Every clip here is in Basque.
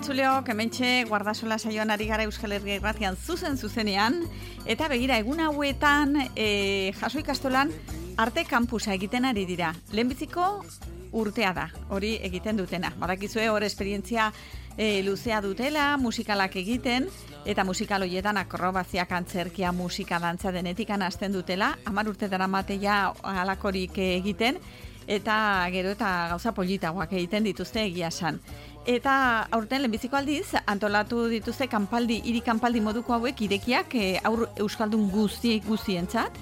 entzuleok, hementxe Guardasola saioan ari gara Euskal Herria Irratian zuzenean, eta begira egun hauetan Jaso ikastolan arte kampusa egiten ari dira. Lehenbiziko urtea da, hori egiten dutena. Badakizue hor esperientzia luzea dutela, musikalak egiten, eta musikal horietan akrobaziak, antzerkia, musika, dantza denetikan hasten dutela, 10 urte daramatea halakorik egiten, eta gero eta gauza politagoak egiten dituzte egia esan. Eta aurten lehenbiziko aldiz, antolatu dituzte hiri kanpaldi moduko hauek irekiak aur euskaldun guztientzat.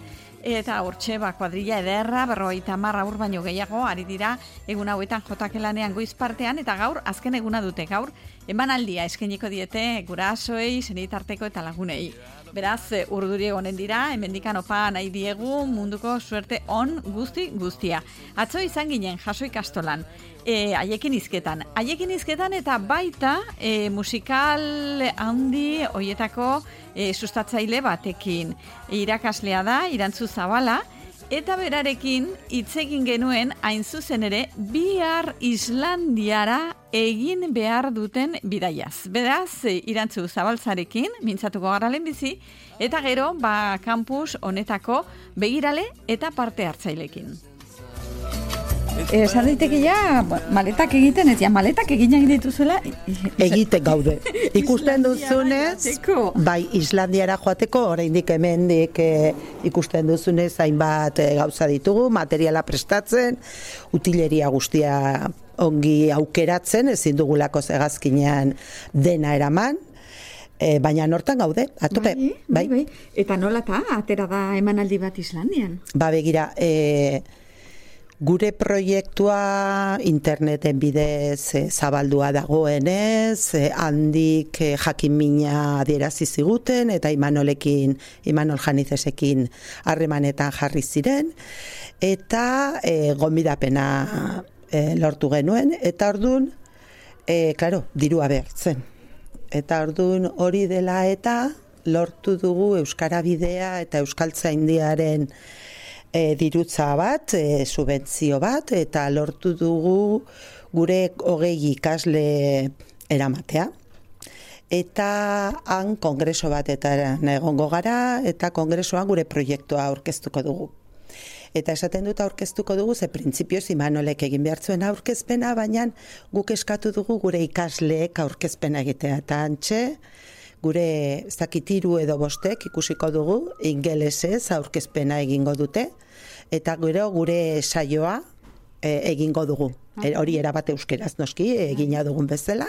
Eta hortxe kuadrilla ederra, 50 aur baino gehiago, ari dira egun hauetan jotakelanean goiz partean, eta gaur azken eguna dute, gaur emanaldia eskainiko diete gurasoei, senitarteko eta lagunei. Beraz, urduri egonen dira, hemendikan opa nahi diegu munduko suerte on guztia. Atzo izan ginen Jaso ikastolan, haiekin hizketan eta baita musikal handi hoietako sustatzaile batekin. Irakaslea da, Irantzu Zabala, eta berarekin hitz egin genuen hain zuzen ere bihar Islandiara egin behar duten bidaiaz. Beraz, Irantzu Zabaltzarekin mintzatuko gara lehenbizi, eta gero kampus honetako begirale eta parte hartzailekin. Esan daiteke maletak egiten, maletak egin dituzuela? Egiten gaude. Ikusten duzunez, bai Islandiara joateko, oraindik hemendik ikusten duzunez, hainbat gauza ditugu, materiala prestatzen, utileria guztia ongi aukeratzen, ezin dugulako hegazkinean dena eraman, baina nortan gaude, atope. Bai. Eta nola atera da emanaldi bat Islandian? Begira, gure proiektua interneten bidez zabaldua dagoenez, handik jakinmina adierazi ziguten, eta Imanol Janizesekin harremanetan jarri ziren, eta gonbidapena lortu genuen, eta orduan, dirua behartzen. Eta orduan hori dela eta lortu dugu Euskara Bidea eta Euskaltzaindiaren dirutza bat, subentzio bat, eta lortu dugu gure 20 ikasle eramatea. Eta han kongreso batetan egongo gara, eta kongresoan gure proiektua aurkeztuko dugu. Eta esaten dut aurkeztuko dugu, ze printzipioz Imanolek egin behar zuen aurkezpena, baina guk eskatu dugu gure ikasleek aurkezpena egitea. Eta antxe, gure 3 edo 5 ikusiko dugu, ingelesez aurkezpena egingo dute, eta gero gure saioa egingo dugu. Hori erabat euskeraz noski, egina dugun bezala.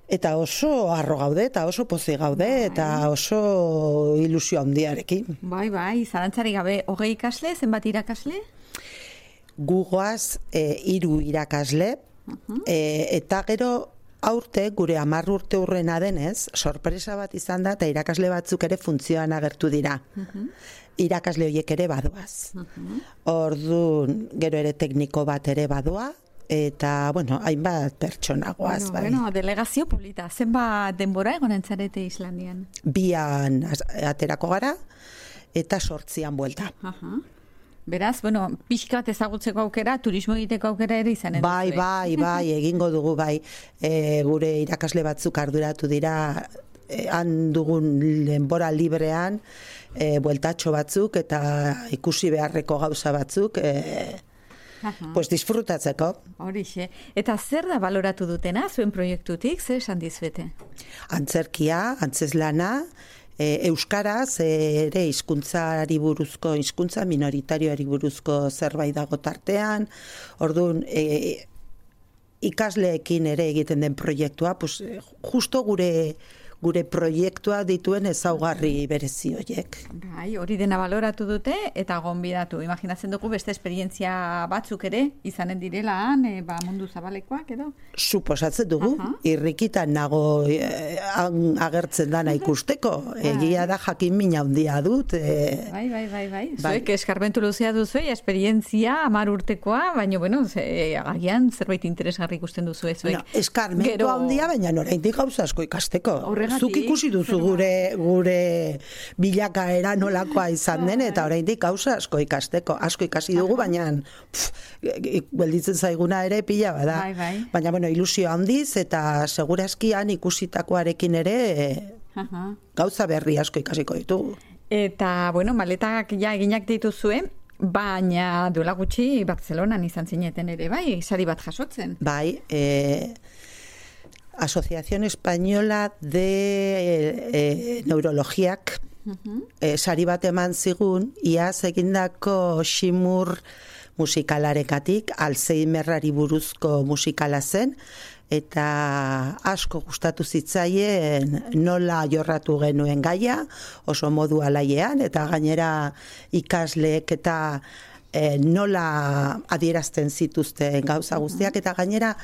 Eta oso harro gaude, eta oso pozi gaude, eta oso ilusio handiarekin. Bai, zalantzari gabe, 20 ikasle, zenbat irakasle? Gugoaz 3 irakasle, eta gero aurte, gure 10 urte urrena denez, sorpresa bat izan da, eta irakasle batzuk ere funtzioan agertu dira. Irakasle horiek ere badoaz. Orduan, gero ere tekniko bat ere badoa, eta, hainbat pertsonagoaz. Delegazio polita, zenbat denbora egonen zarete Islandian? 2 aterako gara, eta 8 buelta. Beraz, pixka bat ezagutzeko aukera, turismo egiteko aukera ere izanen duzu. Bai, egingo dugu, bai. Gure irakasle batzuk arduratu dira, han dugun denbora librean, bueltatxo batzuk, eta ikusi beharreko gauza batzuk, disfrutatzeko. Horixe. Eta zer da baloratu dutena, zuen proiektutik, zer esan dizuete? Antzerkia, antzeslana, euskaraz ere hizkuntzari buruzko, hizkuntza minoritarioari buruzko zerbait dago tartean. Orduan, ikasleekin ere egiten den proiektua, justo gure proiektua dituen ezaugarri berezi horiek. Bai, hori dena baloratu dute eta gonbidatu. Imaginatzen dugu beste esperientzia batzuk ere izanen direla mundu zabalekoak edo? Suposatzen dugu, irrikitan nago agertzen dana ikusteko. Egia da jakin mina handia dut. Bai. Zuek eskarmentu luzea duzu, esperientzia 10 urtekoa, baina, agian zerbait interesgarri ikusten duzu zuek. Eskarmentu handia, baina oraindik gauza asko ikasteko. Zergatik? Zuk ikusi duzu gure bilakaera nolakoa izan den, eta oraindik gauza asko ikasteko. Asko ikasi dugu, baina gelditzen zaiguna ere pila bada. Baina, bueno, ilusio handiz, eta seguraskian ikusitakoarekin ere gauza berri asko ikasiko ditugu. Eta, bueno, maletak ja eginak dituzue, baina duela gutxi Bartzelonan izan zineten ere, bai, sari bat jasotzen. Bai, Asociación Española de Neurologiak sari bat eman zigun, iaz egindako ximur musikalarekatik, Alzheimerrari buruzko musikala zen, eta asko gustatu zitzaien nola jorratu genuen gaia, oso modu alaiean, eta gainera ikasleek eta nola adierazten zituzten gauza guztiak, eta gainera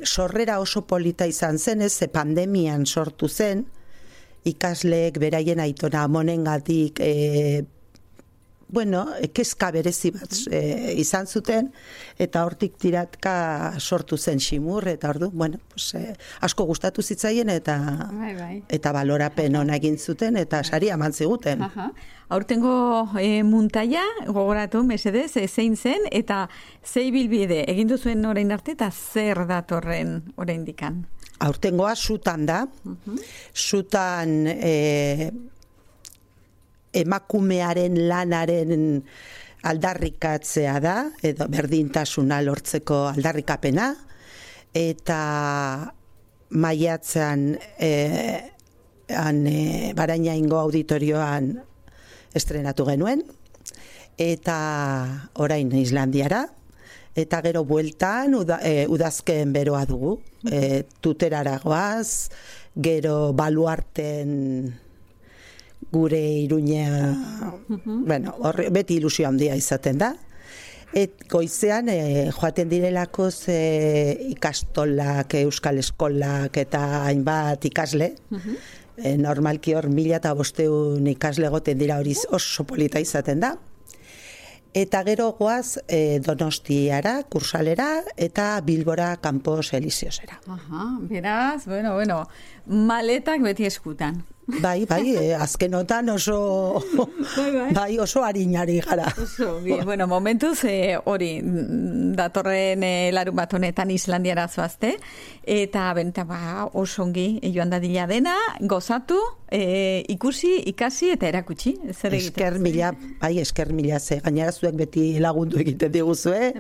sorrera oso polita izan zen, ze pandemian sortu zen, ikasleek beraien aitona amonengatik kezka berezi bat izan zuten, eta hortik tiratka sortu zen ximur, eta ordu, asko gustatu zitzaien, eta balorapen ona egin zuten, eta sari eman ziguten. Aurtengo muntaia, gogoratu, mesedez, zein zen, eta zei bilbide, egin duzuen orain arte, eta zer datorren orain dikan? Aurtengoa sutan da, sutan emakumearen lanaren aldarrikatzea da, edo berdintasuna lortzeko aldarrikapena, eta maiatzean Barainaingo auditorioan estrenatu genuen, eta orain Islandiara, eta gero bueltan udazken beroa dugu, Tuterara goaz, gero Baluarten gure Iruña, beti ilusio handia izaten da. Goizean joaten direlako ikastolak, euskal eskolak eta hainbat ikasle. Normalki hor 1500 ikasle goten dira, hori oso polita izaten da. Eta gero goaz Donostiara, Kursalera, eta Bilbora Campos Elíseosera. Beraz, maletak beti eskutan. Bai, azkenotan oso harinari gara. Momentuz, hori, datorren larun bat honetan Islandiara zoazte, eta oso ongi joan dadila dena, gozatu, ikusi, ikasi eta erakutsi. Esker mila, ze gainera zuek beti lagundu egiten diguzue,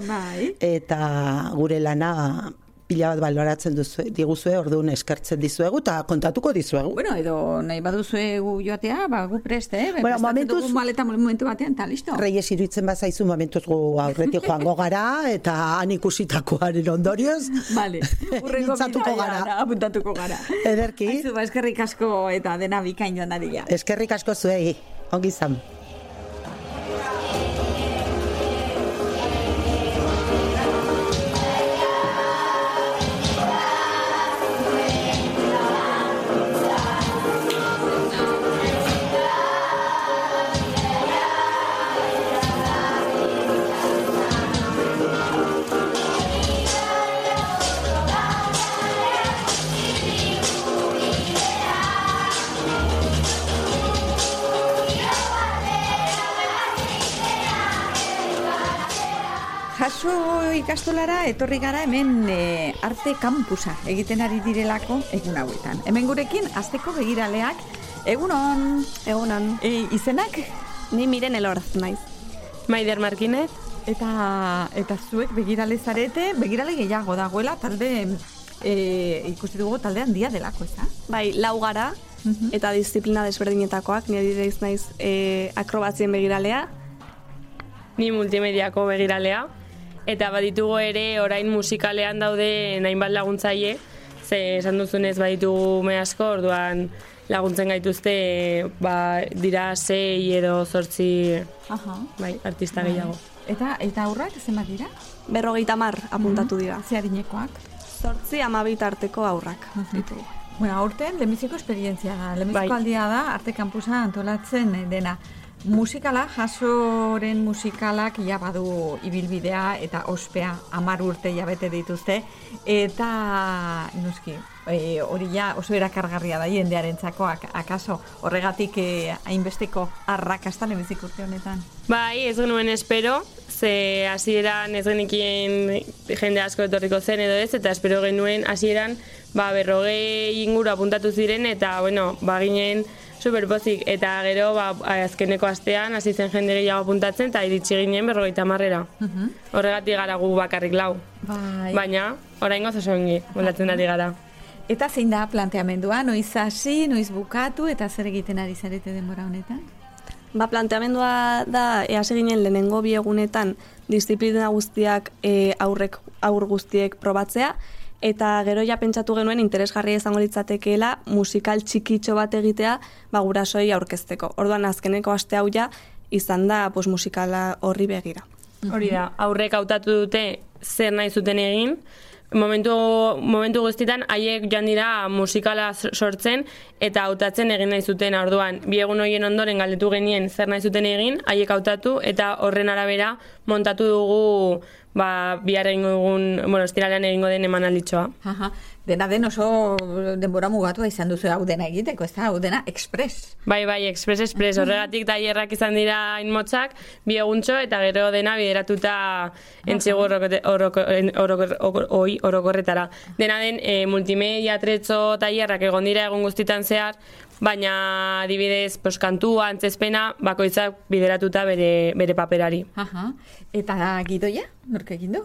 eta gure lana pila bat baloratzen diguzue, orduan eskertzen dizuegu, eta kontatuko dizuegu. Edo nahi baduzuegu joatea, gu preste, prestatzen dugu maleta momentu batean, eta listo. Reyes iruditzen bazaizu, momentuz gu aurretik joango gara, eta han ikusitakoaren ondorioz, mintzatuko gara. Apuntatuko gara. Ederki. Aizu, eskerrik asko eta dena bikain joan dadila. Eskerrik asko zuei, ongi izan. Jaso ikastolara etorri gara hemen arte kampusa egiten ari direlako egun hauetan. Hemen gurekin azteko begiraleak, egunon. Egunon. Izenak? Ni Miren Elorz naiz. Maider Markinez. Eta zuek begirale zarete, begirale gehiago dagoela, talde ikusi dugu talde handia delako, ez da? Bai, 4 gara, eta disiplina desberdinetakoak, ni adibidez naiz akrobatzien begiralea, ni multimediako begiralea, eta baditugu ere orain musikalean daude hainbat laguntzaile, ze esan duzunez baditugu me asko, orduan laguntzen gaituzte dira 6 edo 8 artista gehiago. Eta aurrak zenbat dira? 50 apuntatu dira. Ze harinekoak? 8-12 arteko aurrak. Aurten lehenbiziko esperientzia da. Lehenbiziko aldia da arte kampusa antolatzen dena. musikala, Jasoren musikalak ja badu ibilbidea eta ospea 10 urte jabete dituzte, eta noski, hori ja oso erakargarria da jendearentzako, akaso horregatik hainbesteko arrakasta lehenbizik urte honetan. Bai, ez genuen espero, ze hasieran ez genekien jende asko etorriko zen edo ez, eta espero genuen hasieran 40 inguru apuntatu ziren, eta bueno, ginen superpozik, eta gero azkeneko astean hasi zen jende gehiago apuntatzen, eta iritsi ginen 50-marrera. Horregatik gara gu bakarrik 4. Baina, oraingoz oso ongi, moldatzen ari gara. Eta zein da planteamendua, noiz hasi, noiz bukatu, eta zer egiten ari zarete denbora honetan? Planteamendua da, hasi ginen lehenengo 2 egunetan disiplina guztiak aur guztiek probatzea, eta gero ja pentsatu genuen interesgarria izango litzatekeela musikal txikitxo bat egitea gurasoi aurkezteko. Orduan azkeneko aste hau ja izan da musikala horri begira. Hori da, aurrek hautatu dute zer nahi zuten egin, momentu guztietan haiek joan dira musikala sortzen eta hautatzen egin nahi zuten. Orduan, 2 egun horien ondoren galdetu genien zer nahi zuten egin, haiek hautatu eta horren arabera montatu dugu bihar egingo dugun, ostiralean egingo den emanalditxoa. Dena den oso denbora mugatua izan duzu hau dena egiteko, ez da, hau dena express. Bai, express, horregatik tailerrak izan dira inmotzak, 2 eguntxo, eta gero dena bideratuta entzigu orokorretara. Dena den multimedia, atretzo, tailerrak egon dira egun guztitan zehar, baina adibidez kantua, antzezpena, bakoitzak bideratuta bere paperari. Eta gidoia, nork egin du?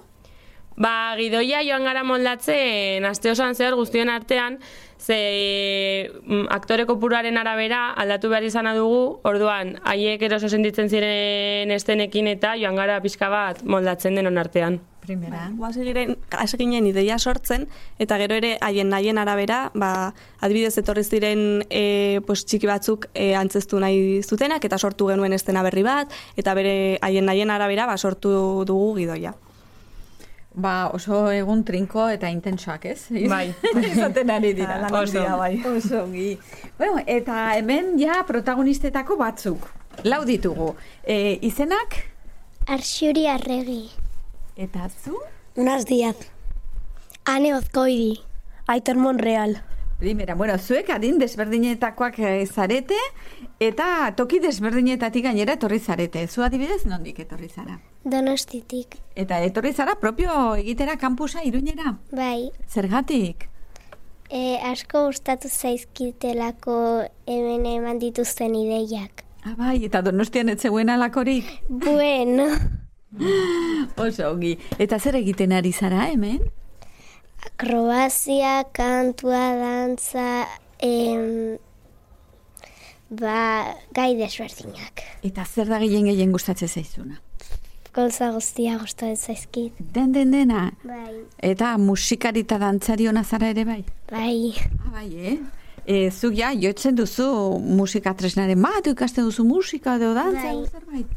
Gidoia joan gara moldatzen aste osoan zehar guztion artean, ze aktore kopuruaren arabera aldatu behar izana dugu, orduan haiek eroso sentitzen ziren estenekin eta joan gara pixka bat moldatzen denon artean. Hasi ginen ideia sortzen, eta gero ere haien arabera, adibidez etorri ziren txiki batzuk antzeztu nahi zutenak, eta sortu genuen estena berri bat, eta bere haien arabera sortu dugu gidoia. Oso egun trinko eta intensoak, ez? Bai. Izaten ari dira. Oso. Bueno, eta hemen ja protagonistetako batzuk. 4 ditugu. Izenak? Arxuri Arregi. Eta zu? Unas Díaz. Ane Ozkoidi. Aitor Monreal. Primera, zuek adin desberdinetakoak zarete, eta toki desberdinetatik gainera etorri zarete. Zu adibidez nondik etorri zara? Donostitik. Eta etorri zara propio egitera kampusa Iruñera? Bai. Zergatik? Asko gustatu zaizkitelako hemen eman dituzten ideiak. Bai, eta Donostian ez zegoen alakorik? Bueno. Oso ongi. Eta zer egiten ari zara hemen? Akrobazia, kantua, dantza, gai desberdinak. Eta zer da gehien gustatzen zaizuna? Gauza guztia gustatzen zaizkit. Dena? Bai. Eta musikari eta dantzari ona zara ere bai? Bai. Bai, zuk ja, jotzen duzu musika tresnaren bat, ikasten duzu musika edo dantza, zerbait?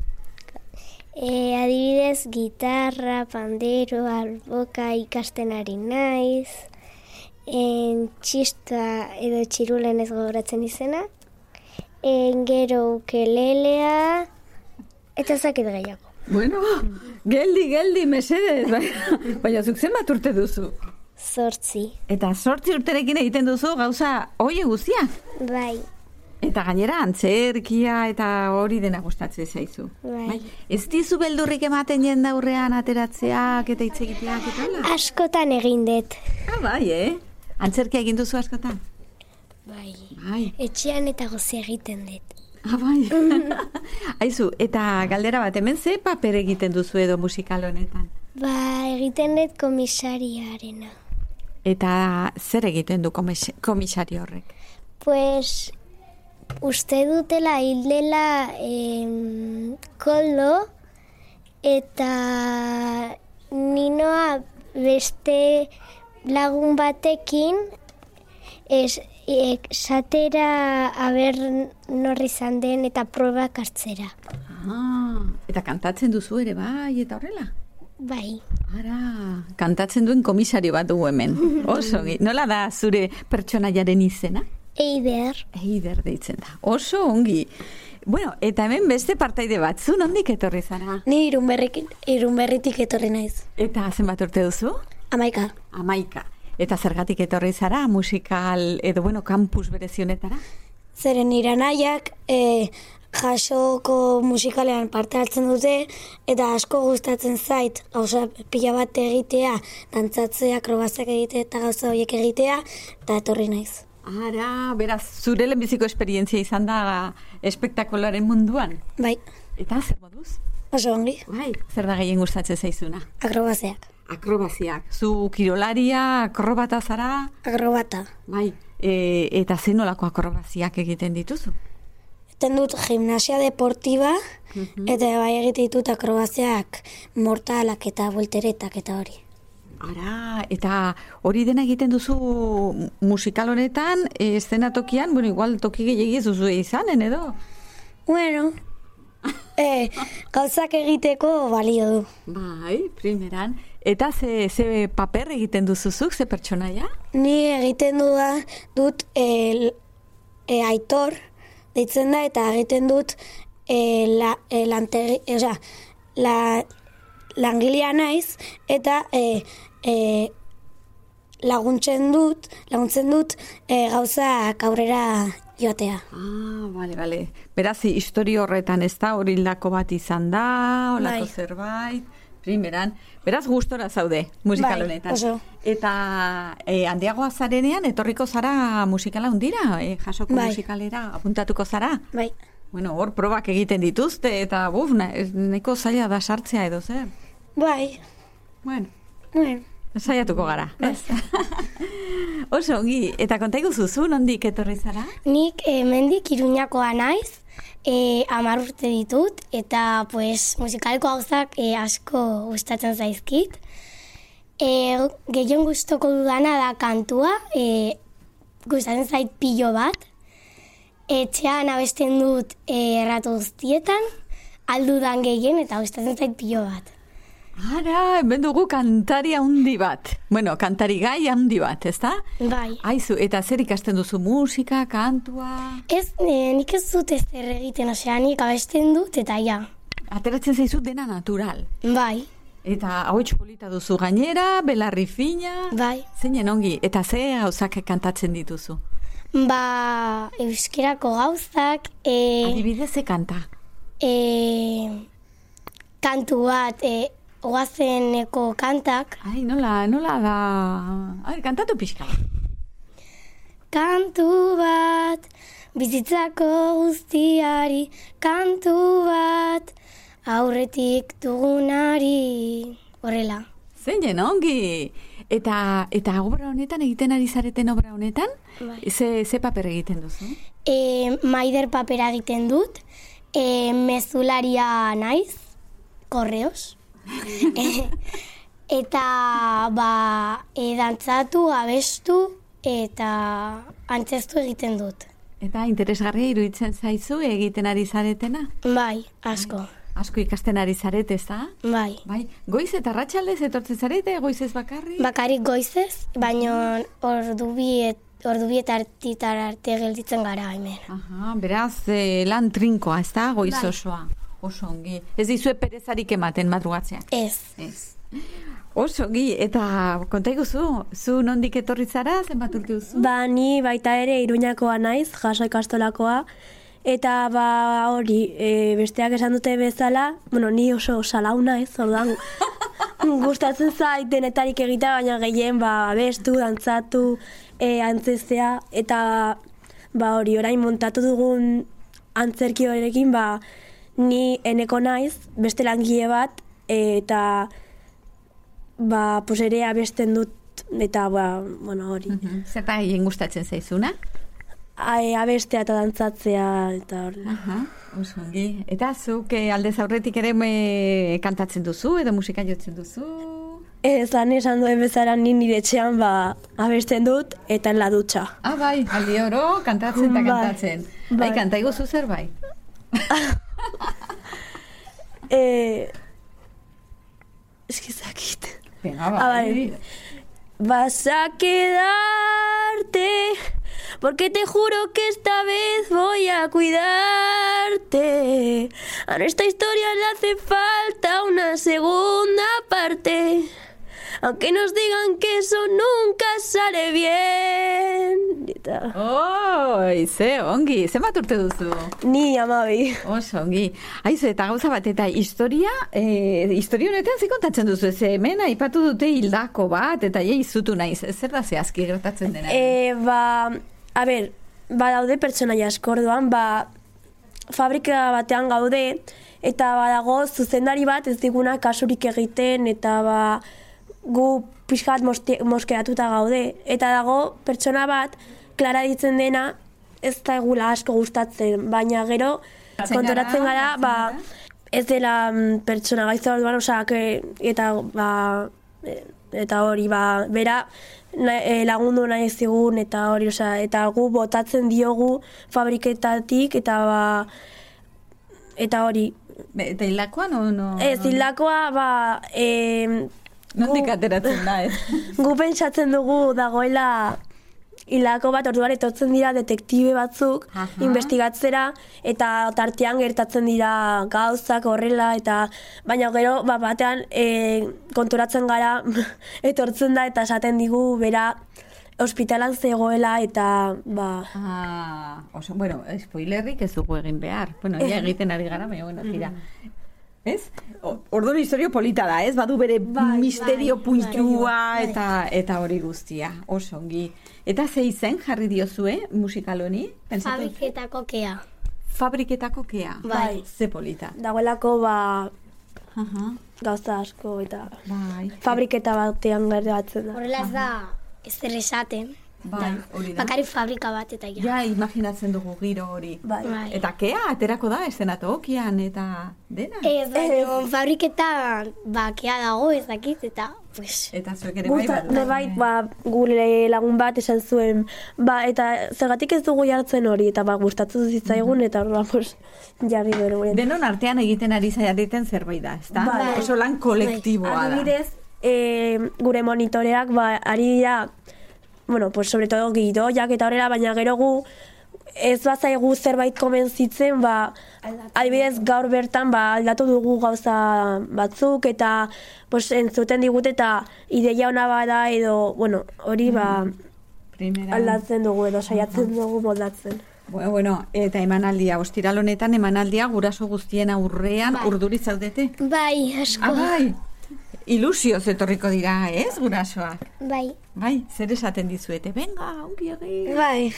Adibidez, gitarra, pandero, alboka ikasten ari naiz, txista edo txirulen ez gogoratzen izena, gero ukelelea, eta zakit gehiago. Bueno, geldi, mesedez, baina zuk zenbat urte duzu? 8. Eta 8 urterekin egiten duzu gauza hori guztia? Bai. Eta gainera antzerkia eta hori dena gustatzen zaizu. Bai. Ez dizu beldurrik ematen jendaurrean ateratzeak eta hitz egiteak eta hola? Askotan egin dut. Bai, Antzerkia egin duzu askotan? Bai. Etxean eta gozi egiten dut. Bai. Aizu, eta galdera bat, hemen ze paper egiten duzu edo musikal honetan? Egiten dut komisariarena. Eta zer egiten du komisari horrek? Uste dutela hildela koldo, eta ninoa beste lagun batekin esatera aber norri izan den eta probak hartzera. Eta kantatzen duzu ere bai eta horrela? Bai. Kantatzen duen komisario bat dugu hemen. Oso, nola da zure pertsonaiaren izena? Eider deitzen da. Oso ongi. Bueno, eta hemen beste partaide bat, zu nondik etorri zara? Ni Irunberritik etorri naiz. Eta zenbat urte duzu? 11. Eta zergatik etorri zara musikal edo campus berezionetara? Zeren nire anaiak jasoko musikalean parte hartzen dute eta asko gustatzen zait gauza pila bat egitea, dantzatzea, akrobaziak egitea eta gauza horiek egitea, eta etorri naiz. Ara, beraz, zure lehenbiziko esperientzia izan da espektakularen munduan? Bai. Eta zer moduz? Oso ongi. Bai, zer da gehien gustatzen zaizuna? Akrobaziak. Akrobaziak. Zu kirolaria, akrobata zara? Akrobata. Bai, eta zen nolako akrobaziak egiten dituzu? Egiten dut gimnasia deportiba, eta bai egiten ditut akrobaziak mortalak eta volteretak eta hori. Ara, eta hori dena egiten duzu musikal honetan, eszenatokian, igual toki gehiagiz duzu izanen, edo? Bueno, gauzak egiteko balio du. Bai, primeran. Eta ze paper egiten duzuzuk, ze pertsonaia? Ni egiten dut Aitor, deitzen da, eta egiten dut langilea naiz, eta laguntzen dut gauzak aurrera joatea. Bale. Beraz, historio horretan ez da, hori lako bat izan da, olako zerbait, primeran. Beraz, gustora zaude musikal honetan. Oso. Eta handiagoa zarenean, etorriko zara musikala hundira? Jasoko musikalera apuntatuko zara? Bai. Bueno, hor probak egiten dituzte, eta nahiko zaila da sartzea edo zer? Bai. Bueno. Saiatuko gara. Oso, ongi, eta konta iguzuzu, nondik etorri zara? Nik mendik Iruñakoa naiz, 10 urte ditut, eta musikaleko gauzak asko gustatzen zaizkit. Gehien gustoko dudana da kantua, gustatzen zait pilo bat. Etxean abesten dut erratu guztietan, aldudan gehien eta gustatzen zait pilo bat. Ara, hemen dugu kantari handi bat. Bueno, kantari gai handi bat, ezta? Bai. Aizu, eta zer ikasten duzu, musika, kantua? Nik ez dut ezer egiten, nik abesten dut eta ja. Ateratzen zaizu dena natural. Bai. Eta hauetxo polita duzu gainera, belarri fina. Bai. Zeinen ongi, eta ze gauzak kantatzen dituzu? Euskerako gauzak. Adibidez ze kanta? Kantu bat, oazeneko kantak. Ai, nola da... Ai, kantatu pixka. Kantu bat, bizitzako guztiari, kantu bat, aurretik dugunari. Horrela. Zeinen ongi! Eta obra honetan, egiten ari zareten obra honetan, ze paper egiten duzu? Maider papera egiten dut, mezularia naiz, korreos. Eta dantzatu, abestu eta antzeztu egiten dut. Eta interesgarria iruditzen zaizu egiten ari zaretena? Bai, asko. Asko ikasten ari zarete, ez da? Bai. Goiz eta arratsaldez etortzen zarete, goizez bakarrik? Bakarrik goizez, baina ordubietatik arte gelditzen gara hemen. Aha, beraz, lan trinkoa, ez da? Goiz osoa. Oso ongi. Ez dizue perezarik ematen madrugatzeak? Ez. Oso ongi, eta konta iguzu, zu nondik etorri zara, zenbat urte duzu? Ni baita ere Iruñakoa naiz, jaso ikastolakoa, eta hori, besteak esan dute bezala, ni oso salau naiz, orduan gustatzen zait denetarik egitea, baina gehien abestu, dantzatu, antzeztea, eta hori, orain montatu dugun antzerki horrekin, ni eneko naiz, beste langile bat, eta ere abesten dut, eta hori. Zerta egin gustatzen zaizuna? Abestea eta dantzatzea, eta hori. Oso ongi. Eta zuk aldez aurretik ere kantatzen duzu, edo musika jotzen duzu? Esan duen bezala nire etxean abesten dut, eta en la dutxa. Bai, aldi oro, kantatzen eta kantatzen. Bai, kanta iguzu zerbait? Eskizakit. Venga, bai. Vas a quedarte porque te juro que esta vez voy a cuidarte. A nuestra historia le hace falta una segunda parte, aunque nos digan que eso nunca sale bien. Ongi, zenbat urte duzu? Ni 12. Oso, ongi. Aizu, eta gauza bat, eta historia honetan ze kontatzen duzu, ez hemen aipatu dute hildako bat, eta izutu naiz, zer da zehazki gertatzen dena? Daude pertsonaia asko, orduan, fabrika batean gaude, eta badago zuzendari bat ez diguna kasurik egiten, eta gu pixkat moskeatuta gaude. Eta dago pertsona bat, klara ditzen dena, ez da egula asko gustatzen, baina gero kontoratzen gara, ez dela pertsona gaitza orduan, eta hori, bera lagundu nahi zigun, eta hori, eta gu botatzen diogu fabriketatik, eta hori. Eta hilakoa, no? Ez, hilakoa, nondik ateratzen da, ez? Gu pentsatzen dugu dagoela hilako bat, orduan etortzen dira detektibe batzuk investigatzera, eta tartean gertatzen dira gauzak horrela, eta baina gero batean konturatzen gara etortzen da, eta esaten digu bera ospitalan zegoela, eta bueno, spoilerrik ez dugu egin behar. Bueno, egiten ari gara, baina bueno, tira. Ez? Orduan historio polita da, ez? Badu bere misterio puntua eta hori guztia. Oso ongi. Eta ze izen jarri diozue musikal honi? Fabriketako kea. Fabriketako kea? Bai. Ze polita. Dagoelako gauza asko eta fabriketa batean gertatzen da. Horrela ez da ez zer esaten. Hori da. Bakari fabrika bat eta ja, imaginatzen dugu giro hori. Eta kea aterako da eszenatokian eta dena? Ez, fabriketa kea dago ez dakit eta eta zuek ere bai gure lagun bat esan zuen, eta zergatik ez dugu jartzen hori, eta gustatzen zitzaigun, eta jarri gero. Denon artean egiten ari zaiariten zerbait da, ezta? Oso lan kolektiboa da. Adibidez, gure monitoreak ari dira, sobre todo gidoiak eta horrela, baina gero gu ez bazaigu zerbait komentzitzen, adibidez gaur bertan aldatu dugu gauza batzuk, eta entzuten digut eta ideia ona bada edo, hori aldatzen dugu edo saiatzen dugu moldatzen. Bueno, eta emanaldia, ostiral honetan emanaldia guraso guztien aurrean urduri zaudete? Bai, asko. Bai, ilusioz etorriko dira, ez, gurasoak? Bai. Bai, zer esaten dizuete? Venga, ongi egin. Bai.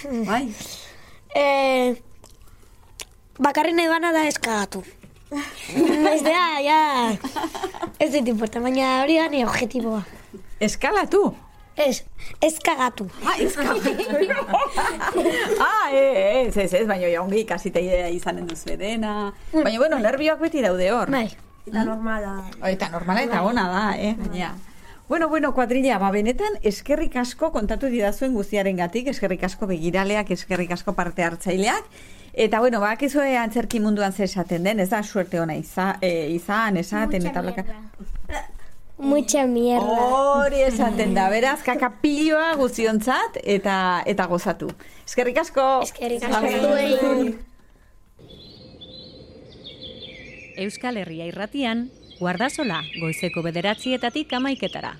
Bakarren edana da eskagatu. Ez dit importa, baina hori da nire objetiboa. Eskalatu? Eskagatu. Eskagatu. Ez, baina ongi ikasiteia izanen duzu dena. Baina, nervioak beti daude hor. Bai. Eta normala. Eta normala eta ona da, baina. Bueno, kuadrilla, benetan eskerrik asko kontatu didazuen guztiarengatik, eskerrik asko begiraleak, eskerrik asko parte hartzaileak, eta bakizue antzerki munduan zer esaten den, ez da suerte ona esaten, eta blaka. Mucha mierda. Hori esaten da, beraz, kakapilloa guztiontzat, eta gozatu. Eskerrik asko. Eskerrik asko. Euskal Herria Irratian, Guardasola, goizeko 9:00 11:00.